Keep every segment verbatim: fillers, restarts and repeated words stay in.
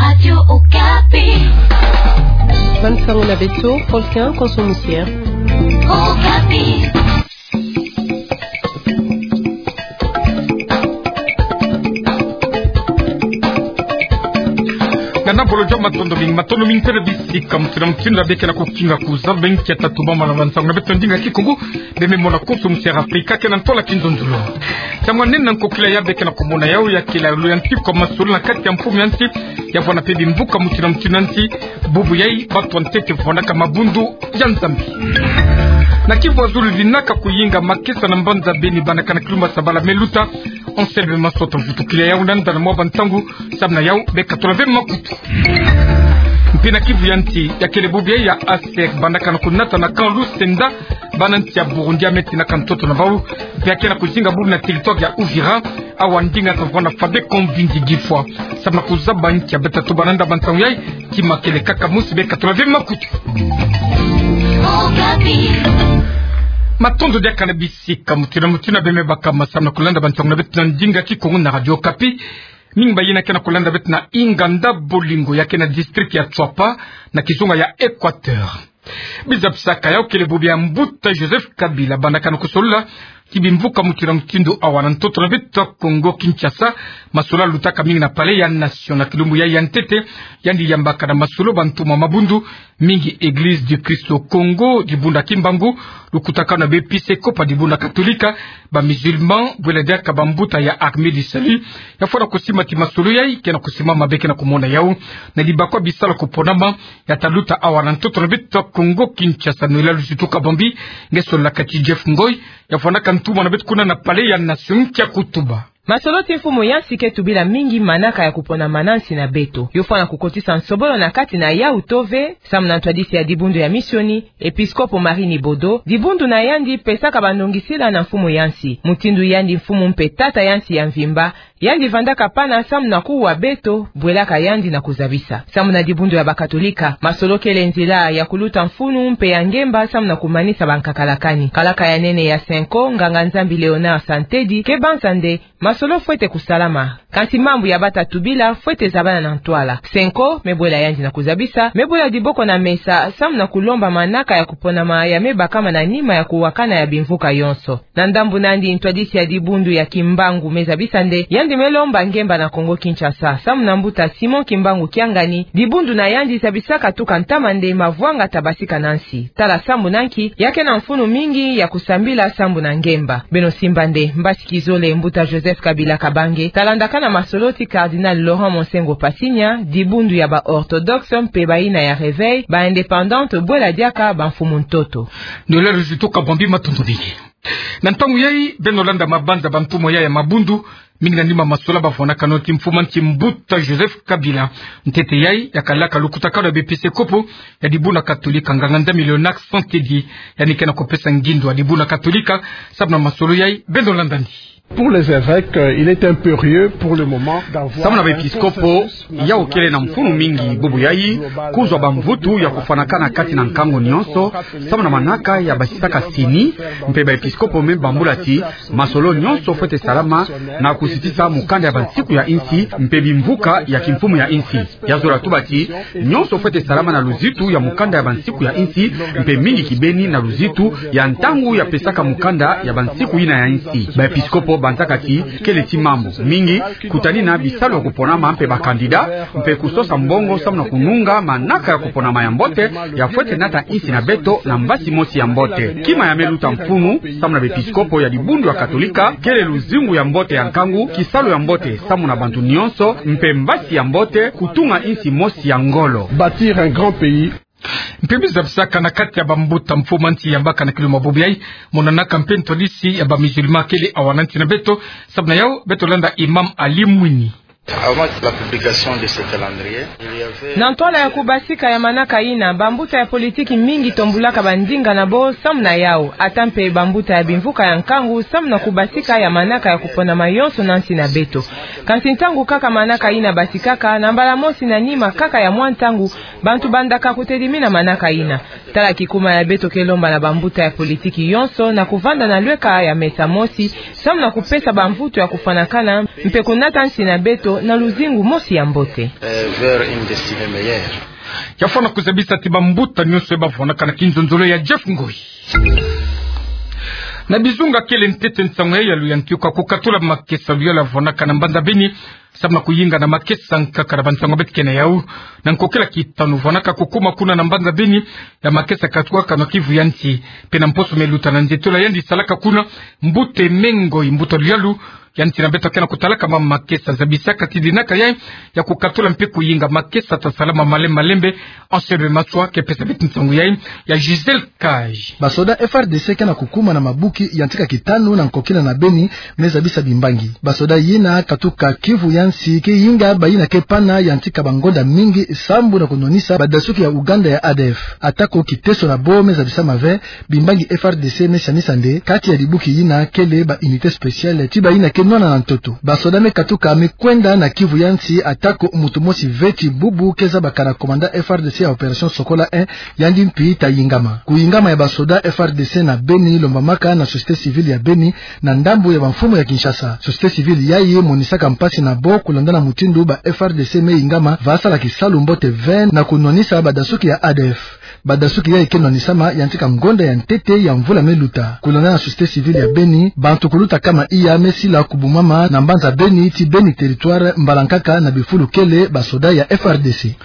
Radio Okapi. Bansango na beto, Faustin Konso Musia. Okapi. Ngana bolo jo matondo mingi, matondo mingi pele bisika mutindu na mutindu ya beke na kukinga kuzaba nkia tatu mama na bansango na beto ndinga Kikongo, beme mona Konso Musia Afrika ke na ntola kinzonzolo. Tiamwa nene na nkokila ya beke na kumona yau ya kila luyantika masolo na kati ya mfumu ya nsi, ya vwanda pe bimvuka mutindu na mutindu ya nsi, bubu yai, bantu ya ntete vwandaka mabundu ya Nzambi. Na Kivu ya zulu linaka kuyinga makesa na mbanza Beni bandaka na kilumba sabala me luta, Anselme Masota vutukila yau na nda na mwa bantangu, samu na yau, beka tula ve makutu. Mpe na Kivu ya nsi, ya kele bubu yai ya ASEC bandaka na kunata na camp Lusenda, bana nsi ya Burundi ya meti na ka ntoto na bau, mpe ya ke na kuzinga bubu na territoire ya Uvira, awa ndinga ka vwanda fabeko mbingi gifwa. Samu na kuzaba nkia beta tubana na nda bantangu yai, kima kele kaka musi beka tula ve makutu. Matondo diaka na bisika mutindu na mutindu beme baka masamu na kulanda bantangu na beto na ndinga Kikongo na Radio Okapi. Mingi bayina ke na kulanda beto na Inganda Bolingo ya ke na district ya Tshuapa na kizunga ya Equateur. Biza bisaka yau kele bubu ya mbuta Joseph Kabila bandaka na kusolola ti bimvuka mutindu na mutindu awa na ntoto na beto Kongo Kinshasa, masolo lutaka mingi na Palais ya Nation na kilumbu yai ya ntete, yandi yambaka na masolo bantu mwa mabundu, mingi Église du Christ au Congo, dibundu ya Kimbangu, lukutakanu na baepiskopo ya dibundu ya Katolika, ba musulman, bwela diaka bambuta ya Armée du Salut, ya fwana kusimba ti masolo yai ke na kusimama beke na kumona yau, na dibakwa bisalu kuponama, ya ta luta awa na ntoto na beto Kongo Kinshasa, Noëlla Luzutu Kabambi, nge sololaka ti Jeff Ngoy, ya fwanaka ntumwa na beto kuna na Palais ya Nation kia kutuba. Masolo ti mfumu ya nsi ke tubila mingi manaka ya kuponama na nsi na beto. Yo fwana kukotisa nsobolo na kati na yau to ve, samu na ntwadisi ya dibundu ya misioni, episkopo Marie Nibodo, dibundu na yandi pesaka bandongisila na mfumu ya nsi. Mutindu yandi mfumu mpe tata ya nsi ya mvimba, yandi vandaka pana samu na kuwa beto, bwelaka yandi na kuzabisa. Samu na dibundu ya bakatolika, masolo kele nzila ya kuluta mfunu mpe ya ngemba samu na kumanisa bankakalakani. Kalaka ya nene ya CENCO, nganga-Nzambi Léonard Santedi, ke banza nde, masolo fwete kusalama. Kansi mambu ya bata tubila fwete zabana na ntwala. CENCO, me bwela yandi na kuzabisa, me bwela diboko na mesa, samu na kulomba manaka ya kuponama ya me bakama na nima ya kuwakana ya bimvuka yonso. Na ndambu nandi ntwadisi ya dibundu ya Kimbangu me zabisa nde, yandi me lomba ngemba na Kongo Kinshasa. Samu na mbuta Simon Kimbangu Kiangani, dibundu na yandi zabisaka tuka ntama nde mavwanga ta basika na nsi. Tala sambu na nki, ya ke na mfunu mingi ya kusambila sambu na ngemba. Beno simba nde, mbasi kizole mbuta Joseph Kabila Kabange, ta landakana masolo ti Cardinal Laurent Monsengwo Pasinya, dibundu ya ba orthodoxe mpe bayina ya Réveil, ba indépendante bwela diaka bamfumu ntoto. Noëlla Luzutu Kabambi, matondo mingi. Na ntangu yai, beno landa mabanza bantumwa yai ya mabundu, mingi na nima masolo bavwanakano ti mfumu ya nsi mbuta Joseph Kabila. Ntete yai, ya kalaka lukutakanu ya baepiskopo ya dibundu ya Katolika, nganga-Nzambi Léonard Santedi, yandi ke na kupesa ngindu ya dibundu ya Katolika, samu na masolo yai, beno landa nde. Pour les évêques, euh, il est impérieux pour le moment d'avoir... Samu na baepiskopo, yau kele na mfunu mingi bubu yai, kuzwa bamvutu ya kufwanakana kati na nkangu nyonso, samu na manaka ya basisaka sini, mpe baepiskopo me bambula ti, masolo nyonso fwete salama na kusitisa mukanda ya bansiku ya insi, mpe bimvuka ya kimfumu ya insi. Ya zola tuba ti, nyonso fwete salama na luzitu ya mukanda ya bansiku ya insi, mpe mingi kibeni na luzitu ya ntangu ya pesaka mukanda ya bansiku yina ya insi. Baepiskopo banzaka ti, kele ti mambu mingi, kutanina bisalu ya kuponama mpe bakandida, mpe kusosa mbongo samu na kununga manaka ya kuponama ya mbote, ya fwete nata insi na beto na mbasi mosi ya mbote. Kima ya me luta mfunu, samu na baepiskopo ya dibundu ya Katolika, kele luzingu ya mbote ya nkangu, kisalu ya mbote, samu na bantu nyonso, mpe mbasi ya mbote, kutunga insi mosi ya ngolo. Bâtir un grand pays. Mpe biza bisaka na kati ya bambuta mfumu ya nsi yambaka na kilumbu bubu yai, monanaka mpe ntwadisi ya ba musulman kele awa na nsi na beto, samu na yau, beto landa Imam Ali Mwini. Avant la publication de ce calendrier, il y avait... Na ntwala ya kubasika ya manaka yina, bambuta ya politiki mingi tombulaka bandinga na bo samu na yau, ata mpe bambuta ya bimvuka ya nkangu samu na kubasika ya manaka ya kuponama yonso na nsi na beto. Kansi ntangu kaka manaka yina basikaka, na mbala mosi na nima kaka ya mwa ntangu, Bantu bandaka kutedimina manaka ina. Tala kikuma ya beto ke lomba na bambuta ya politiki yonso na kuvanda na lweka ya mesa mosi, samu na kupesa bamvutu ya kufwanakana, mpe kunata nsi na beto na luzingu mosi ya mbote. Eh, vers une destinée meilleure. Ya fwana kuzabisa ti bambuta nyonso ya bavwanaka na kinzonzolo ya Jeff Ngoi. Na bizunga kele ntete nsangu ya yalu ya ntiuka kukatula makesa luyalu ya vwanaka na mbanza Beni, samu na kuyinga na makesa nkaka na bansangu ya beto ke na yau. Na nkokila kitanu vwanaka kukuma kuna na mbanza Beni ya makesa katuaka na kivu ya nsi. Mpe na mposo meluta na nzitola yandi salaka kuna, mbuta Ngoi, mbuta luyalu ya nsi na beto ke na kutalaka mama makesa, zabisaka ti dinaka yayi ya kukatula mpe kuyinga makesa ta salama malembe malembe. Anselme Maswa ke pesa beto nsangu yayi, ya Gisèle Cage. Basoda F R D C ke na kukuma na mabuki ya ntika kitanu na nkokila na Beni, me zabisa bimbangi. Basoda yina katuka kivu ya nsi ke yinga bayina ke pana ya ntika bangonda mingi sambu na kunwanisa badasuki ya Uganda ya A D F. Atako kiteso na bo me zabisama ve, bimbangi F R D C me sianisa nde kati ya dibuki yina kele ba unité spéciale ti bayina ke nwana na ntoto. Basoda me katuka me kwenda na kivu ya nsi, atako muntu mosi ve ti bubu ke zabaka na commandant F R D C ya opération Sokola un, yandi mpi ta yingama. Kuyingama ya basoda F R D C na Beni lombamaka na société civile ya Beni na ndambu ya bamfumu ya Kinshasa. Société civile yayi monisaka mpasi na bo kulanda na mutindu ba F R D C me yingama va sala kisalu mbote ve na kunwanisa badasuki ya A D F. Badasuki yayi ke nwanisama ya ntika ngonda ya ntete ya mvula meluta. Kulanda na société civile ya Beni, bantu kuluta kama iya me sila kubumama na mbanza Beni ti Beni territoire mbala nkaka na bifulu kele basoda ya F R D C.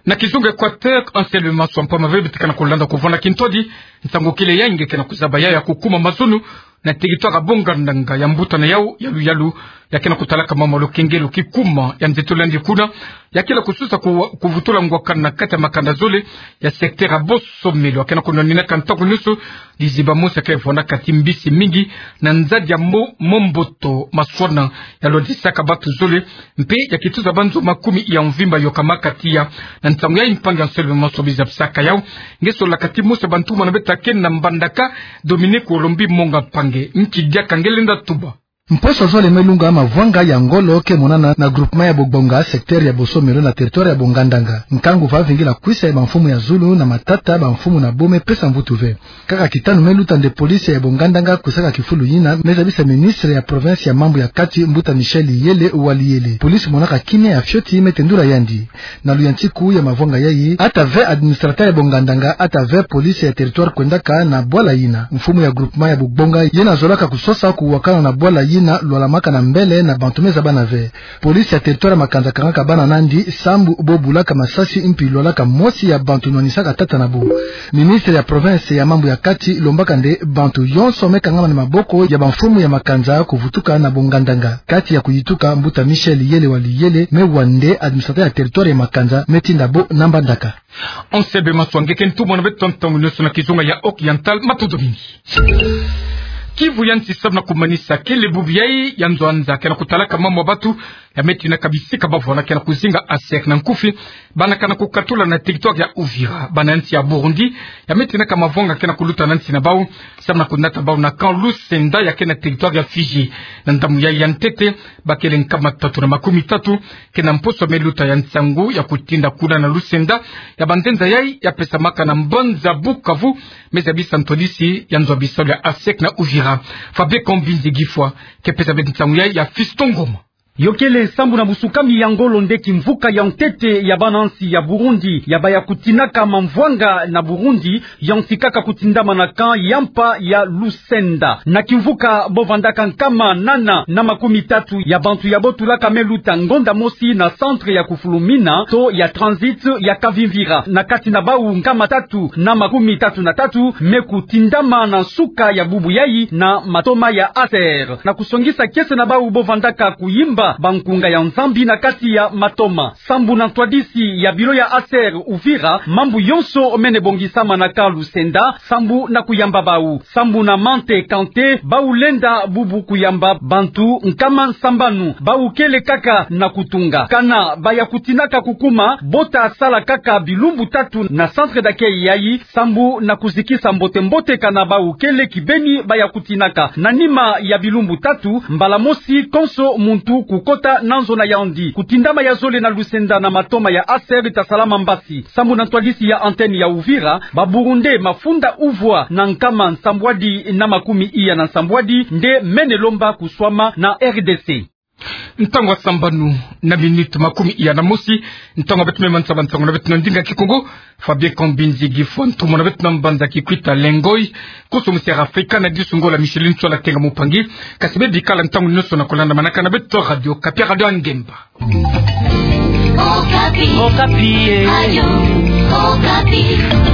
Na kizunga Équateur, Anselme Maswa, mpamba ve beto ke na kulanda kuvwanda kintwadi, nsangu kele yayi nge ke na kuzaba yayi ya kukuma mazono na territoire ya Bongandanga ya mbuta na yau ya luyalu, ya ke na kutalaka mama Lokengelo, kikuma ya nzitola yandi kuna, ya kele kusosa ku-, kuvutula ngwakana na kati ya makanda zole ya secteur ya Bosomelo. Ya ke na kunwaninaka ntangu nyonso liziba mosi ya ke vwandaka ti mbisi mingi na nzadi ya Mo-, Momboto Maswana, ya lwandisaka batu zole, mpe ya kituza banzo makumi ya mvimba yokamaka tiya. Na ntangu yayi mpangi Anselme Maswa, bizabisaka yau, nge solaka ti mosi ya bantuma na beto ya ke na mbandaka, Dominique Olombi Monga Mpangi, nki diaka nge lenda tuba. Mposo zole melunga, mavwanga ya ngolo ke monana na groupement ya Bogbonga, secteur ya Bosomelo na territoire ya Bongandanga. Nkangu va vingila kwisa ya bamfumu ya zulu na matata, bamfumu na bo me pesa mvutu ve. Kaka kitanu meluta nde police ya Bongandanga kwisaka kifulu yina, me zabisa ministre ya province ya mambu ya kati, mbuta Michel Yele Waliyele. Police monaka kimia ya fioti me tendula yandi. Na luyantiku ya mavwanga yayi, ata ve administrateur ya Bongandanga, ata ve police ya territoire kwendaka na bwala yina. Mfumu ya groupement ya Bogbonga yena zolaka kusosa kuwakana na bwala yina lwalamaka na mbele na bantu me zabana ve. Police ya territoire ya Makanza kangaka bana nandi sambu bo bulaka masasi mpi lwalaka mosi ya bantu nwanisaka tata na bo. Ministre ya province ya mambu ya kati lombaka nde bantu yonso me kangama na maboko ya bamfumu ya Makanza kuvutuka na Bongandanga. Kati ya kuyituka, mbuta Michel Yele Waliyele me wa nde administrateur ya territoire ya Makanza, me tinda bo na mbandaka. Anselme Maswa, nge ke ntumwa na beto ntangu nyonso na kizunga ya Oriental, matondo mingi. Kivu ya nsi, samu na kumanisa kele bubu yayi ya nzo ya nza ke na kutalaka mama batu, ya me tinaka bisika bavwandaka na kuzinga ASER na nkufi, bana ke na kukatula na territoire ya Uvira. Bana nsi ya Burundi, ya me tinaka mavwanga ke na kuluta na nsi na bau, samu na kunata bau na camp Lusenda ya ke na territoire ya Fizi. Na ndambu yayi ya ntete, bakele nkama tatu na makumi tatu ke na mposo meluta ya nsangu ya kutinda kuna na Lusenda, ya banzenza yayi ya pesamaka na mbanza Bukavu, me zabisa ntwadisi ya nzo ya bisalu ya ASER na Uvira. Fabien Kambinzi Gifwa ke pesa beto nsangu yayi, ya Fiston Ngoma. Yo kele sambu na busukami ya ngolo nde kimvuka ya ntete ya bana nsi ya Burundi ya baya kutinaka mavwanga na Burundi, ya nsikaka kutindama na camp ya mpa ya Lusenda. Na kimvuka bo vandaka nkama nana na makumi tatu ya bantu ya bo tulaka me luta ngonda mosi na centre ya kufulumina to ya transit ya Kavimvira. Na kati na bau, nkama tatu na makumi tatu na tatu me kutindama na nsuka ya bubu yayi na matoma ya ASER. Na kusongisa kiese na bau bo vandaka kuyimba bankunga ya Nzambi na kati ya matoma. Sambu na ntwadisi ya bilo ya ASER Uvira, mambu yonso mene bongisama na camp Lusenda sambu na kuyamba bau. Sambu na Mante Kante, bau lenda bubu kuyamba bantu nkama nsambanu. Bau kele kaka na kutunga. Kana baya kutinaka kukuma, bo ta sala kaka bilumbu tatu na centre d'accueil yayi, sambu na kuzikisa mbote-mbote kana bau kele kibeni baya kutinaka. Na nima ya bilumbu tatu, mbala mosi konso muntu ku Kota na nzona ya Yaoundé, kutindama ya zole na Lucenda na matoma ya ASER ita salama mbasi. Sambu na ntwadisi ya antenne ya Uvira, ba Burundais mafunda uvwa na nkama nsambwadi na makumi iya na nsambwadi nde mene lomba kuswama na R D C. Ntangu ya sambanu na minute makumi iya na mosi, ntangu ya beto mema nsamba nsangu na beto na ndinga Kikongo, Fabien Kambinzi Gifwa Ntomo na beto na mbanza Kikwit Lengoi, koso mu Sierra Africa na disu Ngola Micheline Tsola Kenga Mupangi, kasi bebikala ntangu nionso na kolanda manaka na beto Radio Okapi, Radio ya Ngemba. Okapi. Okapi, eh. Radio Okapi.